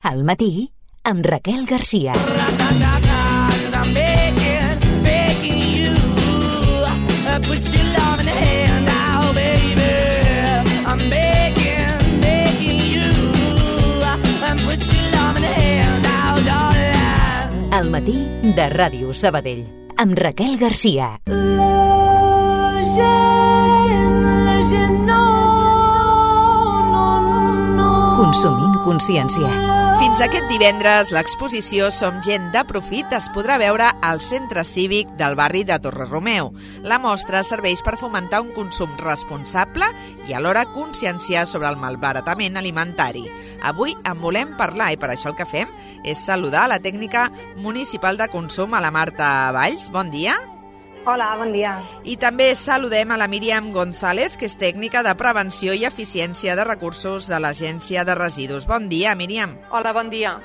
Al matí, amb Raquel Garcia. Al matí de Ràdio Sabadell, amb Raquel Garcia. Consumint consciència. Fins aquest divendres, l'exposició Som gent de profit es podrà veure al Centre Cívic del barri de Torre-Romeu. La mostra serveix per fomentar un consum responsable i alhora conscienciar sobre el malbaratament alimentari. Avui en volem parlar i per això el que fem és saludar la tècnica municipal de consum, a la Marta Valls. Bon dia. Hola, bon dia. I també saludem a la Míriam González, que és tècnica de prevenció i eficiència de recursos de l'Agència de Residus. Bon dia, Míriam. Hola, bon dia.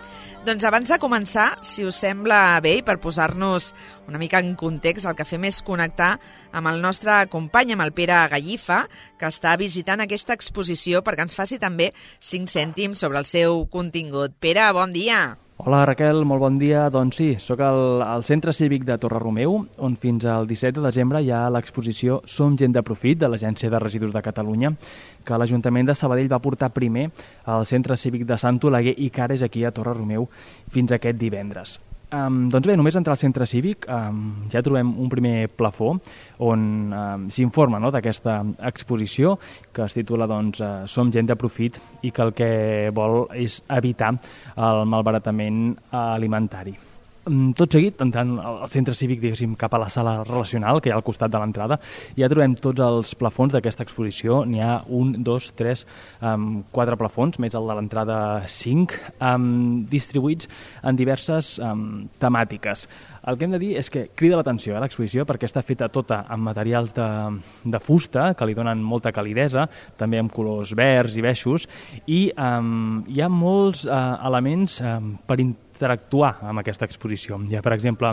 Doncs abans de començar, si us sembla bé, i per posar-nos una mica en context, el que fem és connectar amb el nostre company, amb el Pere Gallifa, que està visitant aquesta exposició perquè ens faci també 5 cèntims sobre el seu contingut. Pere, bon dia. Hola Raquel, molt bon dia. Doncs sí, sóc al Centre Cívic de Torre-Romeu, on fins al 17 de desembre hi ha l'exposició Som gent de profit, de l'Agència de Residus de Catalunya, que l'Ajuntament de Sabadell va portar primer al Centre Cívic de Sant Oleguer i Cares, aquí a Torre-Romeu, fins aquest divendres. Doncs bé, només entrar al Centre Cívic ja trobem un primer plafó on s'informa d'aquesta exposició, que es titula Som gent de profit i que el que vol és evitar el malbaratament alimentari. Tot seguit, entrant al Centre Cívic, diguéssim, cap a la sala relacional, que hi ha al costat de l'entrada, ja trobem tots els plafons d'aquesta exposició. N'hi ha 1, 2, 3, 4 plafons, més el de l'entrada 5, distribuïts en diverses temàtiques. El que hem de dir és que crida l'atenció l'exposició perquè està feta tota amb materials de fusta, que li donen molta calidesa, també amb colors verds i beixos, i hi ha molts elements per interactuar amb aquesta exposició. Hi ha, per exemple,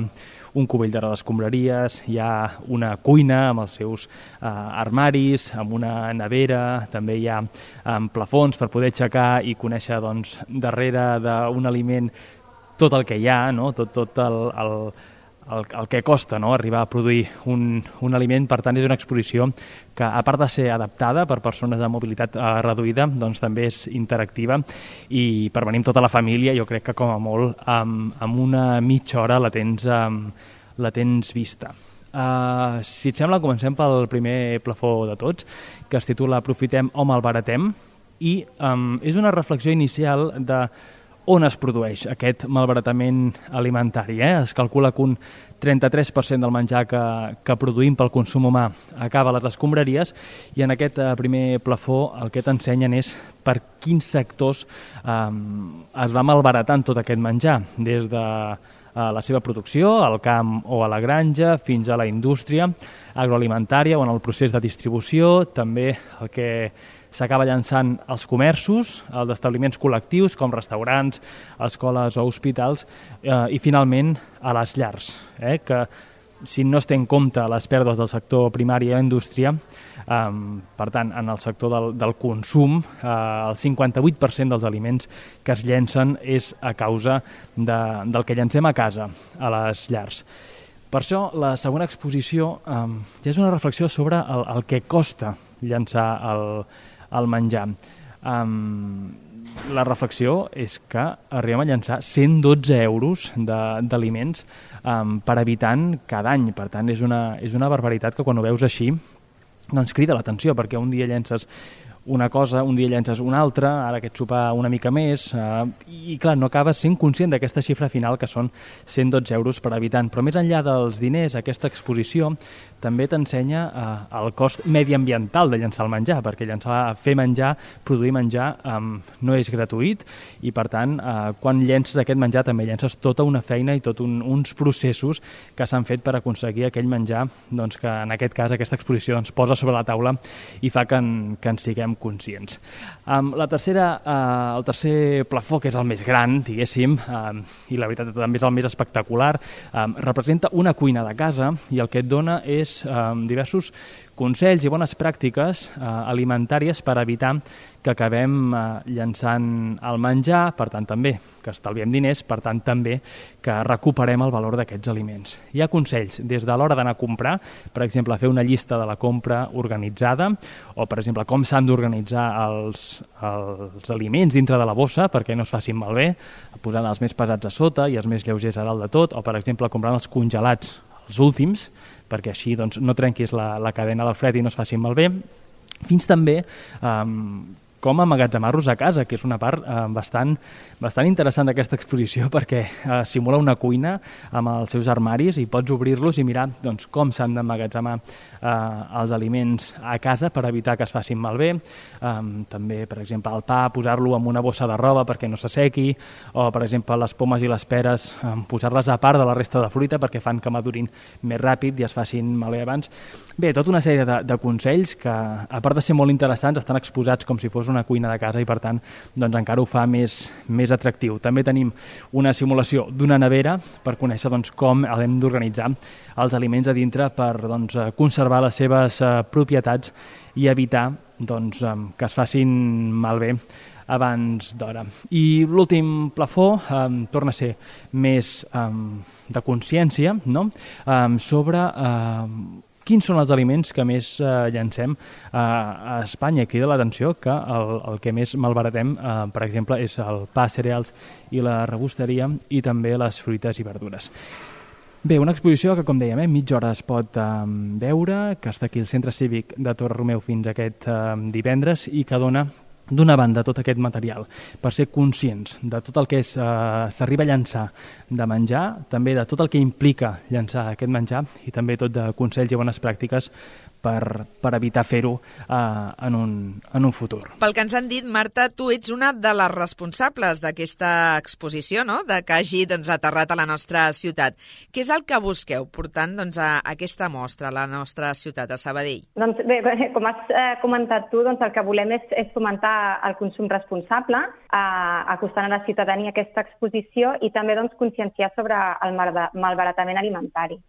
un cubell de les escombraries, hi ha una cuina amb els seus armaris, amb una nevera, també hi ha plafons per poder aixecar i conèixer darrere d'un aliment tot el que hi ha, tot el que costa arribar a produir un aliment. Per tant, és una exposició que, a part de ser adaptada per persones amb mobilitat reduïda, també és interactiva i per venir amb tota la família, jo crec que com a molt amb una mitja hora la tens vista. Si et sembla, comencem pel primer plafó de tots, que es titula Aprofitem o malbaratem, i és una reflexió inicial de on es produeix aquest malbaratament alimentari. Es calcula que un 33% del menjar que produïm pel consum humà acaba a les escombraries, i en aquest primer plafó el que t'ensenyen és per quins sectors es va malbaratant tot aquest menjar, des de la seva producció, al camp o a la granja, fins a la indústria agroalimentària o en el procés de distribució, també el que s'acaba llançant als comerços, als establiments col·lectius com restaurants, escoles o hospitals, i finalment a les llars, que si no es té en compte les pèrdues del sector primari i la indústria, per tant, en el sector del consum, el 58% dels aliments que es llencen és a causa del que llancem a casa, a les llars. Per això, la segona exposició ja és una reflexió sobre el que costa llançar el menjar. La reflexió és que arribem a llançar 112 euros d'aliments per habitant cada any. Per tant, és una barbaritat que quan ho veus així crida l'atenció, perquè un dia llences una cosa, un dia llences una altra, ara aquest sopar una mica més, i clar, no acabes sent conscient d'aquesta xifra final, que són 112 euros per habitant. Però més enllà dels diners, aquesta exposició també t'ensenya el cost mediambiental de llançar el menjar, perquè fer menjar, produir menjar, no és gratuït, i per tant, quan llences aquest menjar també llences tota una feina i tots uns processos que s'han fet per aconseguir aquell menjar, que en aquest cas aquesta exposició ens posa sobre la taula i fa que en siguem conscients. El tercer plafó, que és el més gran, diguéssim, i la veritat també és el més espectacular, representa una cuina de casa, i el que et dona és diversos consells i bones pràctiques alimentàries per evitar que acabem llançant el menjar, per tant també que estalviem diners, per tant també que recuperem el valor d'aquests aliments. Hi ha consells des de l'hora d'anar a comprar, per exemple, fer una llista de la compra organitzada, o per exemple, com s'han d'organitzar els aliments dintre de la bossa perquè no es facin malbé, posant els més pesats a sota i els més lleugers a dalt de tot, o per exemple, comprant els congelats, els últims, perquè així doncs, no trenquis la cadena del fred i no es facin malbé, fins també com emmagatzemar-los a casa, que és una part bastant interessant d'aquesta exposició perquè simula una cuina amb els seus armaris i pots obrir-los i mirar doncs, com s'han d'emmagatzemar els aliments a casa per evitar que es facin malbé. També, per exemple, el pa, posar-lo en una bossa de roba perquè no s'assequi, o, per exemple, les pomes i les peres, posar-les a part de la resta de fruita perquè fan que madurin més ràpid i es facin malbé abans. Bé, tota una sèrie de consells que, a part de ser molt interessants, estan exposats com si fos una cuina de casa i, per tant, doncs, encara ho fa més atractiu. També tenim una simulació d'una nevera per conèixer doncs, com hem d'organitzar els aliments a dintre per doncs, conservar les seves propietats i evitar doncs, que es facin malbé abans d'hora. I l'últim plafó torna a ser més de consciència, no? Sobre quins són els aliments que més llancem a Espanya. Crida l'atenció que el que més malbaratem, per exemple, és el pa, cereals i la rebosteria i també les fruites i verdures. Bé, una exposició que, com dèiem, mitja hora es pot veure, que està aquí al Centre Cívic de Torre-Romeu fins aquest divendres i que dona d'una banda tot aquest material per ser conscients de tot el que s'arriba a llançar de menjar, també de tot el que implica llançar aquest menjar i també tot de consells i bones pràctiques per evitar fer-ho en un futur. Pel que ens han dit, Marta, tu ets una de les responsables d'aquesta exposició, no? De que hagi aterrat a la nostra ciutat. Què és el que busqueu portant a aquesta mostra a la nostra ciutat, a Sabadell? Doncs bé, com has comentat tu, el que volem és fomentar el consum responsable, acostant a la ciutadania aquesta exposició i també conscienciar sobre el malbaratament alimentari.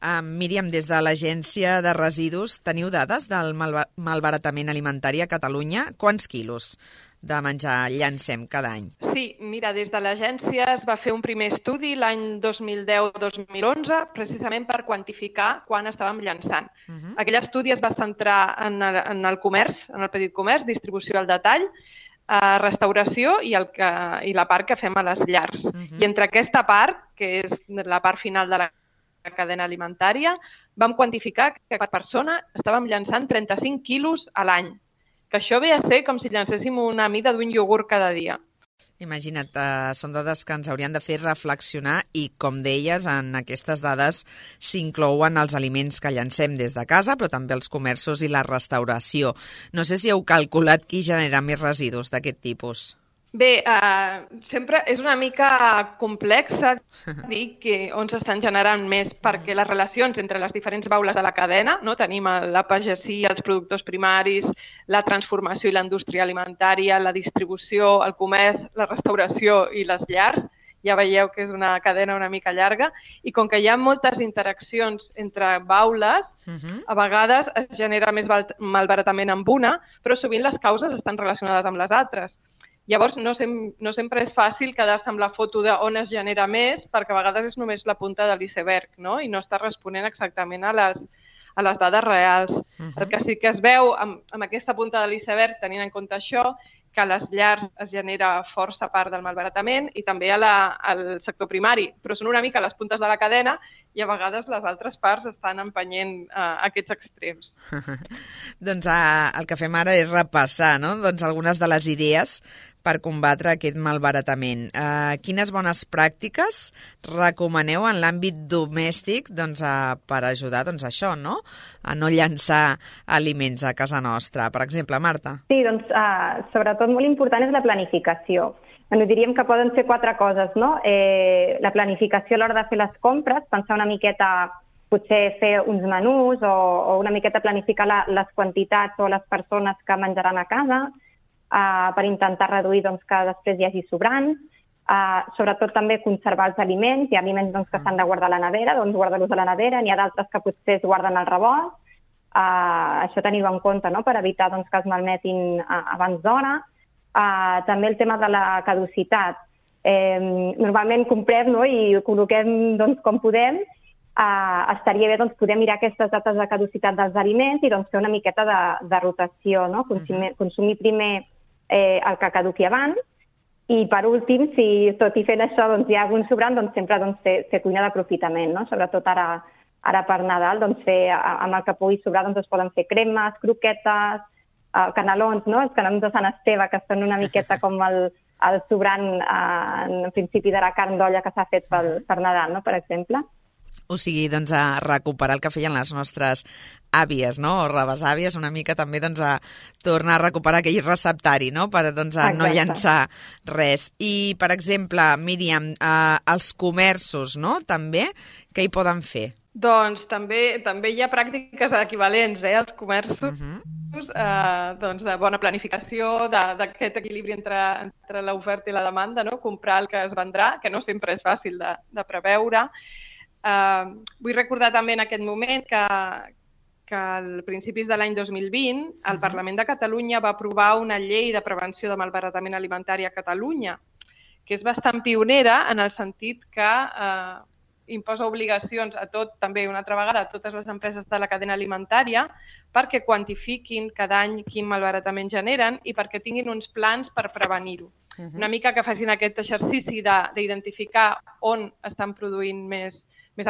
Míriam, des de l'Agència de Residus, teniu dades del malbaratament alimentari a Catalunya? Quants quilos de menjar llancem cada any? Sí, mira, des de l'agència es va fer un primer estudi l'any 2010-2011 precisament per quantificar quan estàvem llançant. Aquell estudi es va centrar en el comerç, en el petit comerç, distribució al detall, restauració i la part que fem a les llars. I entre aquesta part, que és la part final de la cadena alimentària, vam quantificar que per persona estàvem llançant 35 quilos a l'any, que això ve a ser com si llancéssim una mida d'un iogurt cada dia. Imagina't, són dades que ens haurien de fer reflexionar i, com deies, en aquestes dades s'inclouen els aliments que llancem des de casa, però també els comerços i la restauració. No sé si heu calculat qui genera més residus d'aquest tipus. Bé, sempre és una mica complexa dir on s'estan generant més, perquè les relacions entre les diferents baules de la cadena, no? Tenim la pagesia, els productors primaris, la transformació i la indústria alimentària, la distribució, el comerç, la restauració i les llars. Ja veieu que és una cadena una mica llarga, i com que hi ha moltes interaccions entre baules, a vegades es genera més malbaratament amb una, però sovint les causes estan relacionades amb les altres. Llavors, no sempre és fàcil quedar-se amb la foto d'on es genera més, perquè a vegades és només la punta de l'iceberg, no? I no està responent exactament a les dades reals. El que sí que es veu amb aquesta punta de l'iceberg, tenint en compte això, que a les llars es genera força part del malbaratament i també al sector primari, però són una mica les puntes de la cadena i a vegades les altres parts estan empenyent aquests extrems. Doncs el que fem ara és repassar, no? Algunes de les idees per combatre aquest malbaratament. Quines bones pràctiques recomaneu en l'àmbit domèstic per ajudar això, no? A no llançar aliments a casa nostra? Per exemple, Marta. Sí, sobretot molt important és la planificació. Diríem que poden ser 4 coses, no? La planificació a l'hora de fer les compres, pensar una miqueta, potser fer uns menús o una miqueta planificar les quantitats o les persones que menjaran a casa, per intentar reduir que després hi hagi sobrants. Sobretot també conservar els aliments. Hi ha aliments que s'han de guardar a la nevera, guardar-los a la nevera. N'hi ha d'altres que potser es guarden al rebost. això tenir-ho en compte, no?, per evitar doncs, que es malmetin abans d'hora. També el tema de la caducitat. Normalment comprem, no?, i ho col·loquem doncs, com podem. Estaria bé doncs, poder mirar aquestes dates de caducitat dels aliments i doncs, fer una miqueta de rotació, no? Consumir primer el que caduqui abans i, per últim, si tot i fent això doncs, hi ha algun sobrant, doncs, sempre doncs, fer cuina d'aprofitament, no? Sobretot ara per Nadal, doncs, amb el que pugui sobrar doncs, es poden fer cremes, croquetes, canelons, no? Els canelons de Sant Esteve, que són una miqueta com el sobrant en principi de la carn d'olla que s'ha fet per Nadal, no?, per exemple. O sigui, doncs, a recuperar el que feien les nostres àvies, no?, o rebesàvies, una mica també doncs, a tornar a recuperar aquell receptari, no?, per doncs, a no llançar res. I, per exemple, Míriam, els comerços, no?, també, què hi poden fer? Doncs també hi ha pràctiques equivalents, als comerços, doncs de bona planificació, d'aquest equilibri entre l'oferta i la demanda, no?, comprar el que es vendrà, que no sempre és fàcil de preveure. Vull recordar també en aquest moment que al principis de l'any 2020 el Parlament de Catalunya va aprovar una llei de prevenció de malbaratament alimentari a Catalunya, que és bastant pionera en el sentit que imposa obligacions també una altra vegada a totes les empreses de la cadena alimentària perquè quantifiquin cada any quin malbaratament generen i perquè tinguin uns plans per prevenir-ho. Una mica que facin aquest exercici d'identificar on estan produint més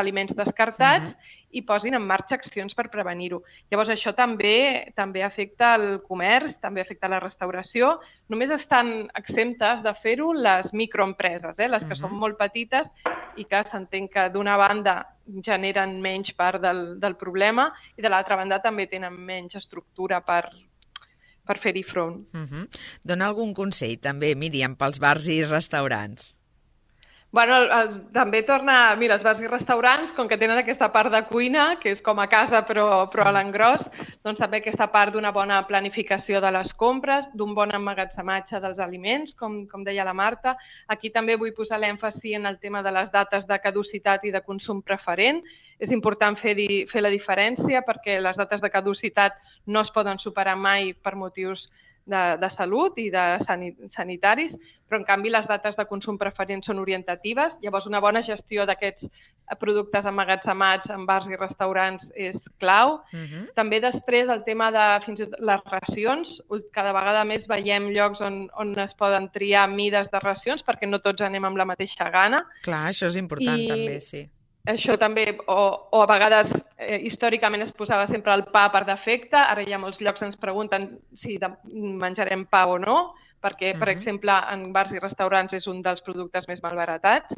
aliments descartats i posin en marxa accions per prevenir-ho. Llavors, això també afecta el comerç, també afecta la restauració. Només estan exemptes de fer-ho les microempreses, les que són molt petites i que s'entén que d'una banda generen menys part del problema i de l'altra banda també tenen menys estructura per fer-hi front. Dona algun consell també, Míriam, pels bars i restaurants? Bueno, també torna... Mira, els bars i restaurants, com que tenen aquesta part de cuina, que és com a casa però a l'engròs, doncs també aquesta part d'una bona planificació de les compres, d'un bon emmagatzematge dels aliments, com deia la Marta. Aquí també vull posar l'èmfasi en el tema de les dates de caducitat i de consum preferent. És important fer la diferència perquè les dates de caducitat no es poden superar mai per motius de salut i de sanitaris, però en canvi les dates de consum preferent són orientatives. Llavors una bona gestió d'aquests productes emmagatzemats en bars i restaurants és clau. També després el tema de fins i tot les racions. Cada vegada més veiem llocs on es poden triar mides de racions perquè no tots anem amb la mateixa gana. Clar, això és important també, sí. Això també, o a vegades històricament es posava sempre el pa per defecte, ara ja molts llocs ens pregunten si menjarem pa o no, perquè, per exemple, en bars i restaurants és un dels productes més malbaratats.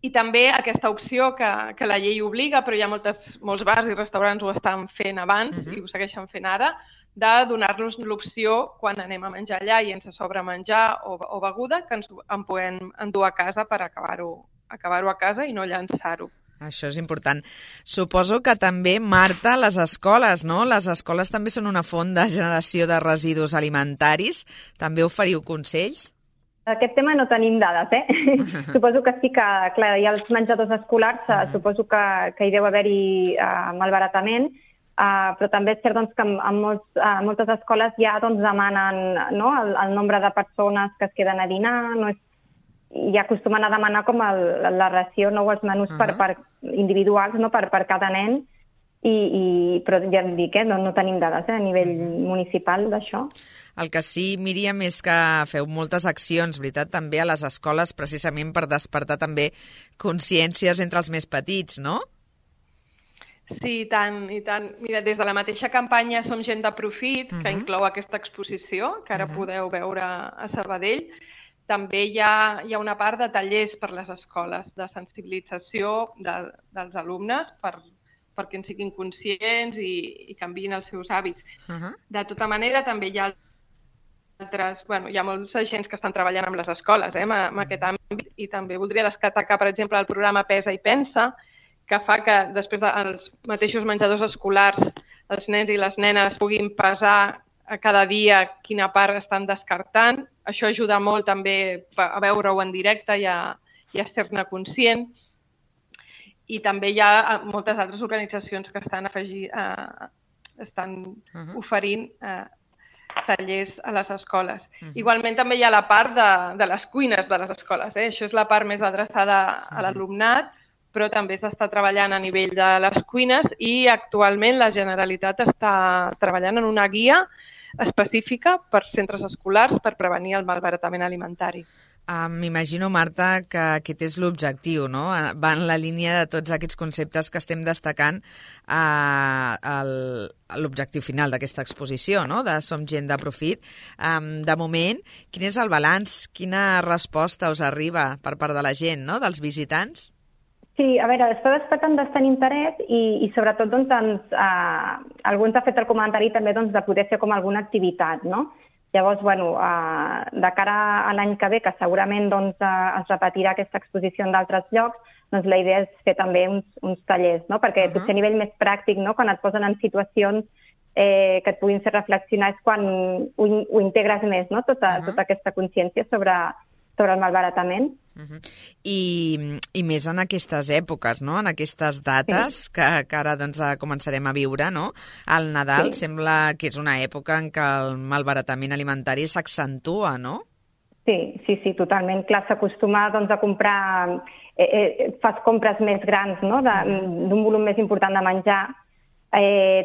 I també aquesta opció que la llei obliga, però ja molts bars i restaurants ho estan fent abans i ho segueixen fent ara, de donar-nos l'opció, quan anem a menjar allà i ens sobra menjar o beguda, que ens en puguem endur a casa per acabar-ho a casa i no llançar-ho. Això és important. Suposo que també, Marta, les escoles, no? Les escoles també són una font de generació de residus alimentaris. També oferiu consells? Aquest tema no tenim dades, Suposo que sí que, clar, hi ha els menjadors escolars, suposo que hi deu haver-hi malbaratament, però també és cert doncs, que en moltes escoles ja doncs, demanen el nombre de persones que es queden a dinar, i acostumen a demanar com la ració, els menús per individuals, per cada nen, però ja em dic, no tenim dades a nivell municipal d'això. El que sí, Míriam, és que feu moltes accions, veritat, també a les escoles, precisament per despertar també consciències entre els més petits, no? Sí, i tant. Mira, des de la mateixa campanya Som gent de profit, que inclou aquesta exposició, que ara podeu veure a Sabadell, també hi ha una part de tallers per les escoles, de sensibilització dels alumnes perquè en siguin conscients i canviïn els seus hàbits. De tota manera, també hi ha hi ha molts agents que estan treballant amb les escoles en aquest àmbit i també voldria destacar, per exemple, el programa Pesa i Pensa, que fa que després dels mateixos menjadors escolars els nens i les nenes puguin pesar a cada dia quina part estan descartant. Això ajuda molt també a veure-ho en directe i a ser-ne conscient. I també hi ha moltes altres organitzacions que estan oferint tallers a les escoles. Igualment també hi ha la part de les cuines de les escoles. Això és la part més adreçada a l'alumnat, però també s'està treballant a nivell de les cuines i actualment la Generalitat està treballant en una guia específica per centres escolars per prevenir el malbaratament alimentari. M'imagino, Marta, que aquest és l'objectiu, no? Va en la línia de tots aquests conceptes que estem destacant l'objectiu final d'aquesta exposició, no? De Som gent de profit. De moment, quin és el balanç? Quina resposta us arriba per part de la gent, no? Dels visitants? Sí, a veure, està despertant bastant interès i sobretot doncs, algú ens ha fet el comentari també doncs, de poder fer com alguna activitat, no? Llavors, de cara a l'any que ve, que segurament doncs, es repetirà aquesta exposició en d'altres llocs, doncs la idea és fer també uns tallers, no? Perquè potser a nivell més pràctic, no? Quan et posen en situacions que et puguin fer reflexionar és quan ho integres més, no? Tota aquesta consciència sobre el malbaratament. I més en aquestes èpoques, no? En aquestes dates que ara doncs, començarem a viure, no? El Nadal sembla que és una època en què el malbaratament alimentari s'accentua, no? Sí, totalment. Clar, s'acostuma doncs, a comprar, fas compres més grans, no? D'un volum més important de menjar.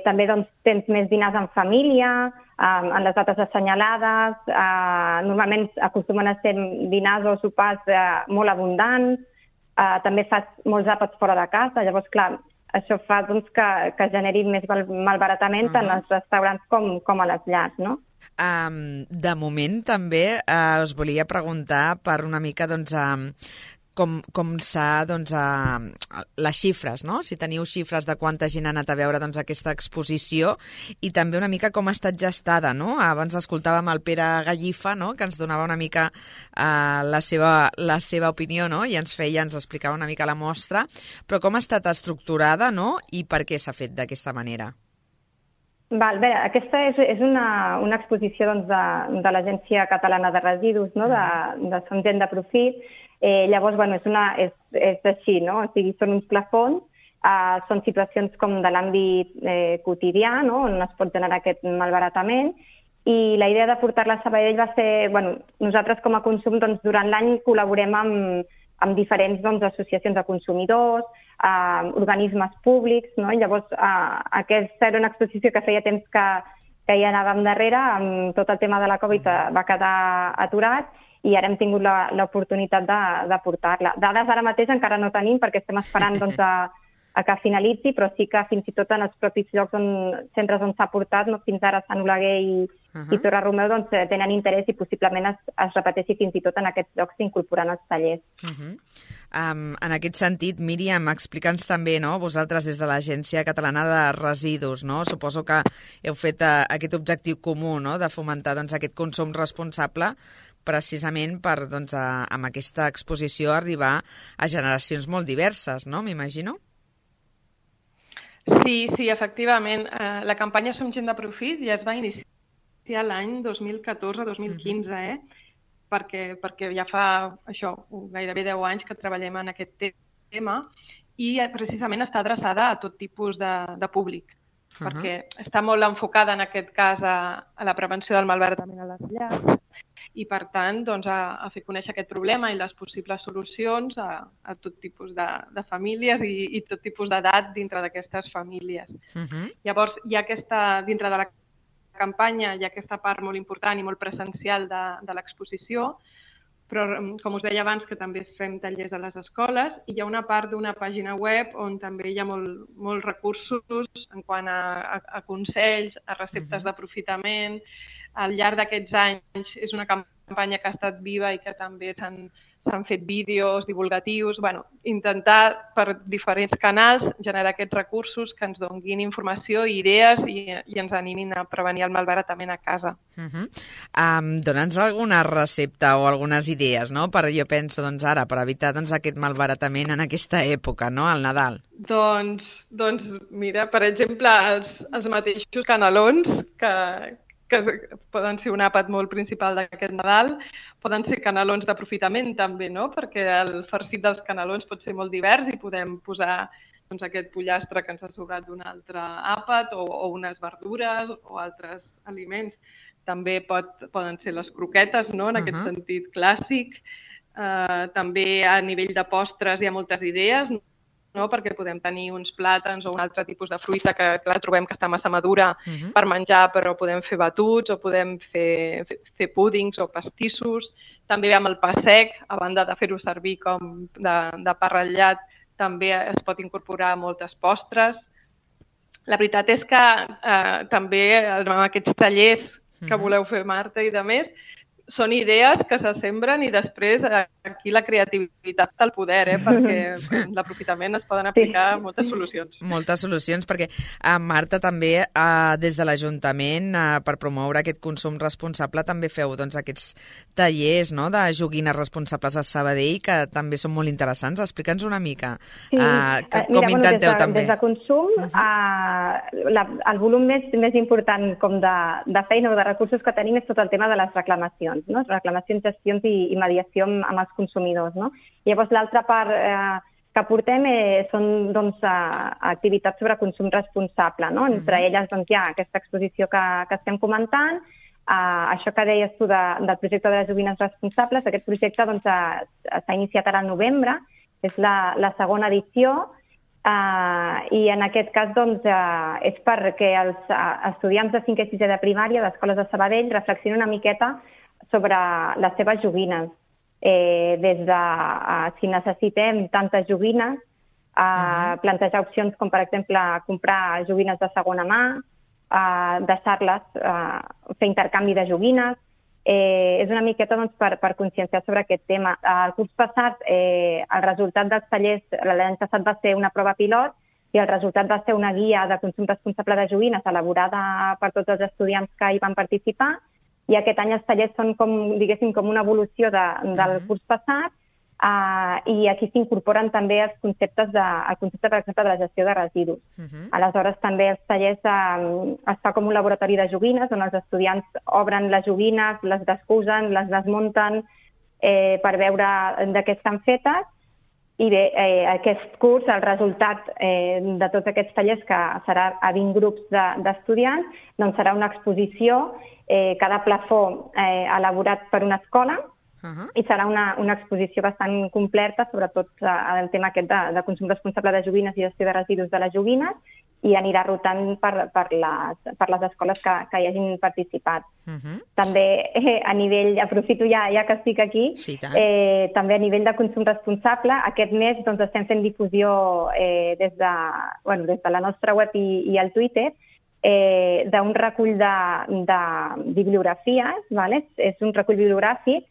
També doncs, tens més dinars en família, en les dates assenyalades, normalment acostumen a ser dinars o sopars molt abundants, també fas molts àpats fora de casa, llavors clar, això fa doncs, que generi més malbaratament tant als restaurants com a les llars, no? De moment també us volia preguntar per una mica doncs, com s'ha, doncs, les xifres, no? Si teniu xifres de quanta gent ha anat a veure doncs, aquesta exposició i també una mica com ha estat gestada, no? Abans escoltàvem el Pere Gallifa, no? Que ens donava una mica la seva opinió, no? I ens explicava una mica la mostra, però com ha estat estructurada, no? I per què s'ha fet d'aquesta manera? Bé, aquesta és una exposició doncs, de l'Agència Catalana de Residus, no? de Som gent de profit. Llavors, és així, no? O sigui, són uns plafons, són situacions com de l'àmbit quotidià, no? On es pot generar aquest malbaratament, i la idea de portar-la a Sabadell va ser, nosaltres com a Consum, doncs, durant l'any col·laborem amb diferents doncs, associacions de consumidors, organismes públics, no? Llavors, aquesta era una exposició que feia temps que hi anàvem darrere, amb tot el tema de la Covid va quedar aturat, i ara hem tingut l'oportunitat de portar-la. Dades ara mateix encara no tenim perquè estem esperant doncs, a que finalitzi, però sí que fins i tot en els propis llocs centres on s'ha portat, no, fins ara Sant Oleguer i Torre Romeu, doncs, tenen interès i possiblement es repeteixi fins i tot en aquests llocs s'incorporen els tallers. En aquest sentit, Míriam, explica'ns també, no, vosaltres des de l'Agència Catalana de Residus, no? Suposo que heu fet aquest objectiu comú, no?, de fomentar doncs, aquest consum responsable precisament per, doncs, amb aquesta exposició arribar a generacions molt diverses, no?, m'imagino? Sí, efectivament. La campanya Som gent de profit ja es va iniciar l'any 2014-2015, perquè ja fa gairebé 10 anys que treballem en aquest tema i precisament està adreçada a tot tipus de públic, perquè està molt enfocada en aquest cas a la prevenció del malbaratament a les llars i, per tant, doncs, a fer conèixer aquest problema i les possibles solucions a tot tipus de famílies i tot tipus d'edat dintre d'aquestes famílies. Llavors, dintre de la campanya hi ha aquesta part molt important i molt presencial de l'exposició, però, com us deia abans, que també fem tallers a les escoles, i hi ha una part d'una pàgina web on també hi ha molts recursos en quant a consells, a receptes d'aprofitament. Al llarg d'aquests anys és una campanya que ha estat viva i que també s'han fet vídeos divulgatius, intentar per diferents canals generar aquests recursos que ens donguin informació i idees i ens animin a prevenir el malbaratament a casa. Dona'ns alguna recepta o algunes idees, no? Jo penso, doncs, ara, per evitar aquest malbaratament en aquesta època, no?, al Nadal. Doncs mira, per exemple, els mateixos canelons que que poden ser un àpat molt principal d'aquest Nadal, poden ser canelons d'aprofitament també, no? Perquè el farcit dels canelons pot ser molt divers i podem posar doncs, aquest pollastre que ens ha sobrat d'un altre àpat o unes verdures o altres aliments. També poden ser les croquetes, no? En aquest sentit clàssic. També a nivell de postres hi ha moltes idees, no? Perquè podem tenir uns plàtans o un altre tipus de fruita que trobem que està massa madura per menjar, però podem fer batuts o podem fer púdings o pastissos. També amb el pa sec, a banda de fer-ho servir com de pa ratllat, també es pot incorporar moltes postres. La veritat és que també amb aquests tallers que voleu fer, Marta, i de més, són idees que se sembren i després aquí la creativitat té el poder, perquè l'aprofitament es poden aplicar moltes solucions. Moltes solucions, perquè Marta també des de l'Ajuntament per promoure aquest consum responsable també feu aquests tallers de joguines responsables a Sabadell que també són molt interessants. Explica'ns una mica com intenteu també. Des de consum, el volum més important com de feina o de recursos que tenim és tot el tema de les reclamacions. No? Reclamacions, gestions i mediació amb els consumidors. No? Llavors, l'altra part que portem són activitats sobre consum responsable. No? Entre elles hi ha aquesta exposició que estem comentant, això que deies tu del projecte de les joguines responsables. Aquest projecte s'ha iniciat ara al novembre, és la segona edició, i en aquest cas és perquè els estudiants de 5è i 6è de primària d'escoles de Sabadell reflexionen una miqueta sobre les seves joguines, des de si necessitem tantes joguines, plantejar opcions com, per exemple, comprar joguines de segona mà, deixar-les, fer intercanvi de joguines. És una miqueta per conscienciar sobre aquest tema. El curs passat, el resultat dels tallers, l'any passat va ser una prova pilot i el resultat va ser una guia de consum responsable de joguines elaborada per tots els estudiants que hi van participar. I aquest any els tallers són com una evolució del curs passat i aquí s'incorporen també el concepte, per exemple, de la gestió de residus. Aleshores, també els tallers es fa com un laboratori de joguines on els estudiants obren les joguines, les descusen, les desmunten per veure de què estan fetes. I bé, aquest curs, el resultat de tots aquests tallers, que serà a 20 grups d'estudiants, doncs serà una exposició, cada plafó elaborat per una escola, i serà una exposició bastant completa, sobretot el tema aquest de consum responsable de joguines i gestió de residus de les joguines, i anirà rotant per les escoles que hi hagin participat. També a nivell, aprofito ja que estic aquí, també a nivell de consum responsable, aquest mes estem fent difusió des de la nostra web i el Twitter, d'un recull de bibliografies, és un recull bibliogràfic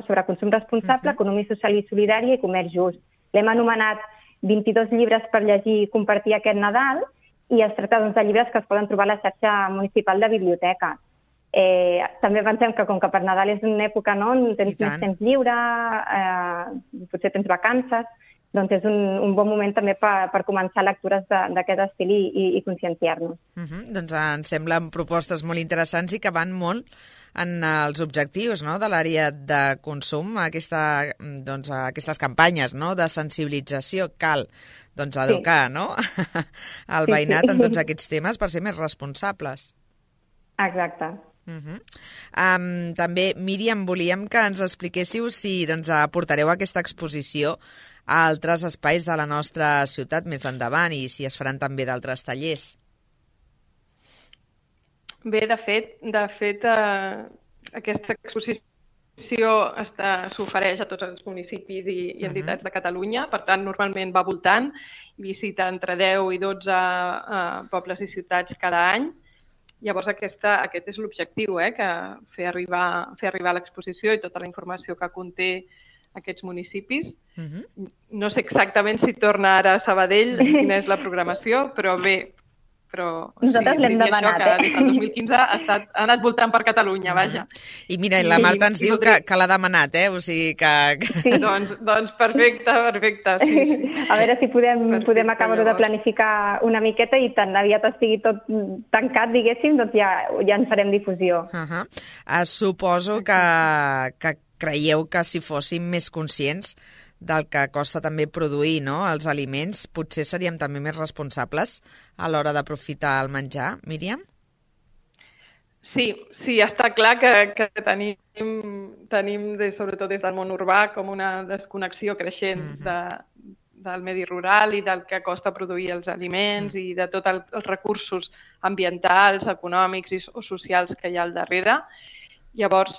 sobre consum responsable, economia social i solidària i comerç just. L'hem anomenat 22 llibres per llegir i compartir aquest Nadal, i es tracta de llibres que es poden trobar a la xarxa municipal de biblioteques. També pensem que com que per Nadal és una època on tens més temps lliure, potser tens vacances, doncs és un bon moment també per començar lectures d'aquest estil i conscienciar-nos. Doncs ens semblen propostes molt interessants i que van molt en els objectius de l'àrea de consum, aquestes campanyes de sensibilització. Cal educar el veïnat en tots aquests temes per ser més responsables. Exacte. També, Míriam, volíem que ens expliquéssiu si aportareu aquesta exposició a altres espais de la nostra ciutat més endavant i si es faran també d'altres tallers. Bé, de fet, aquesta exposició s'ofereix a tots els municipis i entitats de Catalunya, per tant, normalment va voltant, visita entre 10 i 12 pobles i ciutats cada any. Llavors, aquest és l'objectiu, que fer arribar l'exposició i tota la informació que conté aquests municipis. No sé exactament si torna ara a Sabadell, quina és la programació, però bé, però nosaltres l'hem demanat, que des del 2015 ha anat voltant per Catalunya, vaja. I mira, la Marta ens diu que l'ha demanat, o sigui que... Sí. Doncs perfecte, sí. A veure si podem acabar-ho de planificar una miqueta i tan aviat estigui tot tancat, diguéssim, doncs ja en farem difusió. Suposo que creieu que si fóssim més conscients del que costa també produir, no?, els aliments, potser seríem també més responsables a l'hora d'aprofitar el menjar, Míriam? Sí, està clar que tenim sobretot des del món urbà, com una desconnexió creixent del medi rural i del que costa produir els aliments i de tots els recursos ambientals, econòmics o socials que hi ha al darrere. Llavors,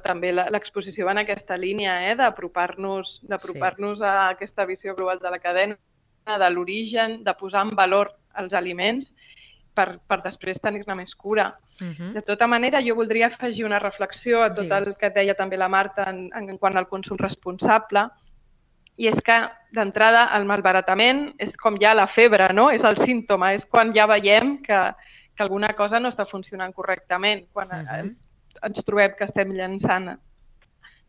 també l'exposició va en aquesta línia, d'apropar-nos a aquesta visió global de la cadena, de l'origen, de posar en valor els aliments per després tenir-ne més cura. De tota manera, jo voldria afegir una reflexió a tot el que deia també la Marta en quant al consum responsable, i és que, d'entrada, el malbaratament és com ja la febre, no? És el símptoma, és quan ja veiem que alguna cosa no està funcionant correctament, quan ens trobem que estem llançant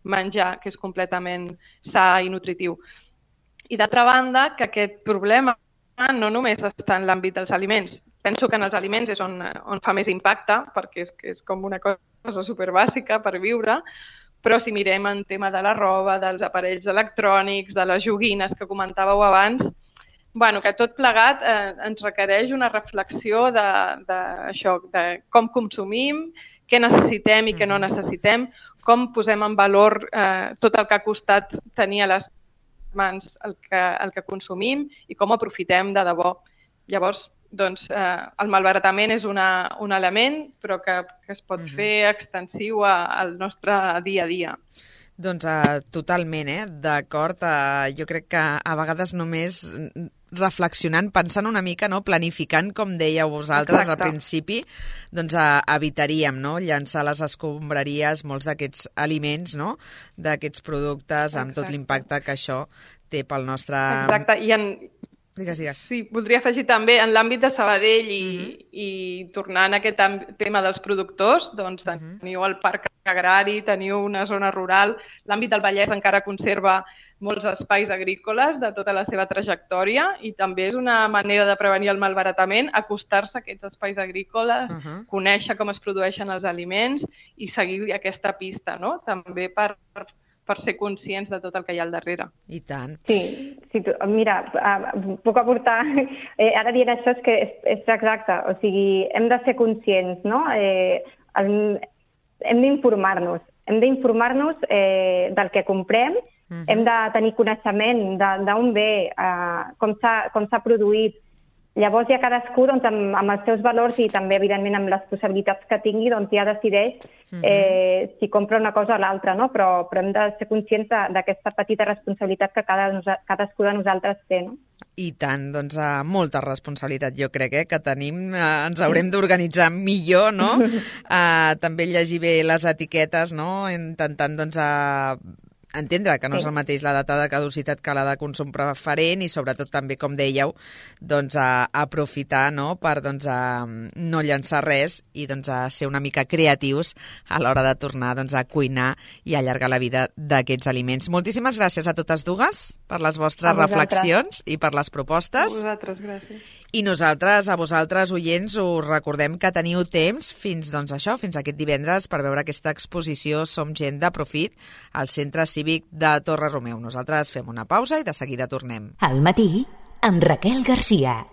menjar que és completament sa i nutritiu. I d'altra banda, que aquest problema no només està en l'àmbit dels aliments. Penso que en els aliments és on fa més impacte, perquè és com una cosa superbàsica per viure, però si mirem en tema de la roba, dels aparells electrònics, de les joguines que comentàveu abans, que tot plegat ens requereix una reflexió d'això, de com consumim, què necessitem i què no necessitem, com posem en valor tot el que ha costat tenir a les mans el que consumim i com aprofitem de debò. Llavors, el malbaratament és un element, però que es pot fer extensiu al nostre dia a dia. Doncs totalment, d'acord. Jo crec que a vegades només reflexionant, pensant una mica, planificant, com dèieu vosaltres al principi, doncs evitaríem llançar a les escombraries molts d'aquests aliments, d'aquests productes, amb tot l'impacte que això té pel nostre... Exacte, i Digues. Sí, voldria afegir també en l'àmbit de Sabadell i tornant a aquest tema dels productors, doncs teniu el parc agrari, teniu una zona rural, l'àmbit del Vallès encara conserva molts espais agrícoles de tota la seva trajectòria i també és una manera de prevenir el malbaratament, acostar-se a aquests espais agrícoles, conèixer com es produeixen els aliments i seguir aquesta pista, no? També per ser conscients de tot el que hi ha al darrere. I tant. Sí, mira, puc aportar... Ara dient això és que és exacte, o sigui, hem de ser conscients, no? Hem d'informar-nos del que comprem, hem de tenir coneixement d'on ve, com s'ha produït. Llavors ja cadascú amb els seus valors i també evidentment amb les possibilitats que tingui ja decideix si compra una cosa o l'altra, no? Però hem de ser conscients d'aquesta petita responsabilitat que cadascú de nosaltres té, no? I tant, doncs molta responsabilitat jo crec que tenim, ens haurem d'organitzar millor, no? També llegir bé les etiquetes, no? Intentant entendre que no és el mateix la data de caducitat que la de consum preferent i sobretot també, com dèieu, aprofitar per no llançar res i ser una mica creatius a l'hora de tornar a cuinar i allargar la vida d'aquests aliments. Moltíssimes gràcies a totes dues per les vostres reflexions i per les propostes. A vosaltres, gràcies. I nosaltres, a vosaltres, oients, us recordem que teniu temps fins aquest divendres per veure aquesta exposició Som gent de profit al Centre Cívic de Torre Romeu. Nosaltres fem una pausa i de seguida tornem. Al matí, amb Raquel Garcia.